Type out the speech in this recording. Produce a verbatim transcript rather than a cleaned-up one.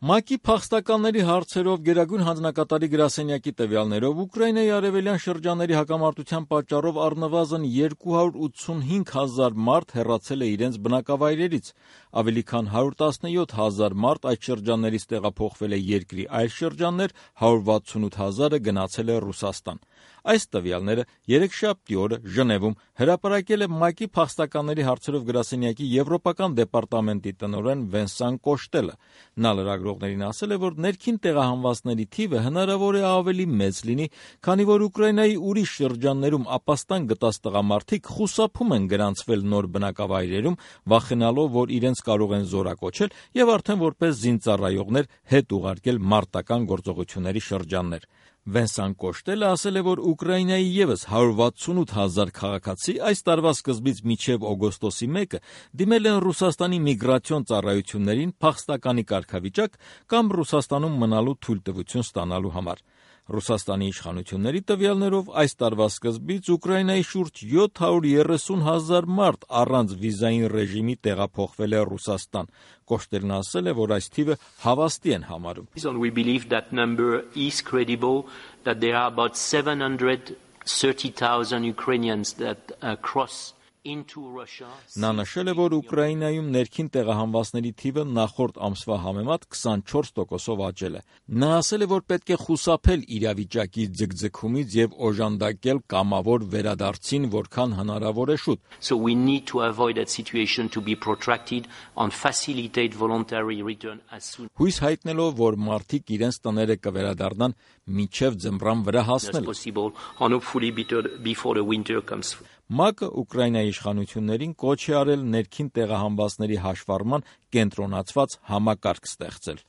ՄԱԿ-ի փախստականների հարցերով գերագույն հանձնակատարի գրասենյակի տվյալներով Ուկրաինայի արևելյան շրջանների հակամարտության պատճառով առնվազն երկու հարյուր ութսունհինգ հազար մարդ հեռացել է իրենց բնակավայրերից, ավելի քան հարյուր տասնյոթ հազար մարդ այդ շրջաններից տեղափոխվել է երկրի այլ շրջաններ, հարյուր վաթսունութ հազարը գնացել է Ռուսաստան։ Այս տվյալները երեքշաբթի օրը Ժնևում հրապարակել է ՄԱԿ-ի փախստականների հարցերով գրասենյակի եվրոպական դեպարտամենտի տնօրեն Վենսան Կոշտելը։ Նա լրագրողներին ասել է, որ ներքին տեղահանվածների թիվը հնարավոր է ավելի մեծ լինի, քանի որ Ուկրաինայի ուրիշ շրջաններում ապաստան գտած տղամարդիկ խուսափում են գրանցվել նոր բնակավայրերում, վախենալով, որ իրենց կարող են զորակոչել եւ արդեն որպես զինծառայողներ հետ ուղարկել մարտական գործողությունների շրջաններ։ Վենսան Կոշտելը ասել է, որ Ուկրաինայի ևս հարյուր վաթսունութ հազար քաղաքացի այս տարվա սկզբից մինչև օգոստոսի մեկը դիմել են Ռուսաստանի միգրացիոն ծառայություններին փախստականի կարգավիճակ կամ Ռուսաստանում մնալու թույլտվություն ստանալու համար։ Ռուսաստանի իշխանությունների տվյալներով այս տարվա սկզբից Ուկրաինայի շուրջ յոթ հարյուր երեսուն հազար մարդ առանց վիզային ռեժիմի տեղափոխվել է Ռուսաստան։ Կոշտելն ասել է, որ այս թիվը հավաստի են համարում։ We believe that number is credible, that there are about seven hundred thirty thousand Ukrainians that uh, cross into Russia. Նա նշել է, որ Ուկրաինայում ներքին տեղահանվածների թիվը նախորդ ամսվա համեմատ քսանչորս տոկոսով աճել է։ Նա ասել է, որ պետք է խուսափել իրավիճակի ձգձգումից եւ օժանդակել կամավոր վերադարձին, որքան հնարավոր է շուտ։ So we need to avoid that situation to be protracted and facilitate voluntary return as soon Հույս հայտնելով, որ մարդիկ իրենց տները կվերադառնան մինչև ձմռան վրա հասնել։ as possible and hopefully before the winter comes. ՄԱԿ-ը Ուկրաինայի իշխանություններին կոչ է արել ներքին տեղահանվածների հաշվառման կենտրոնացված համակարգ ստեղծել։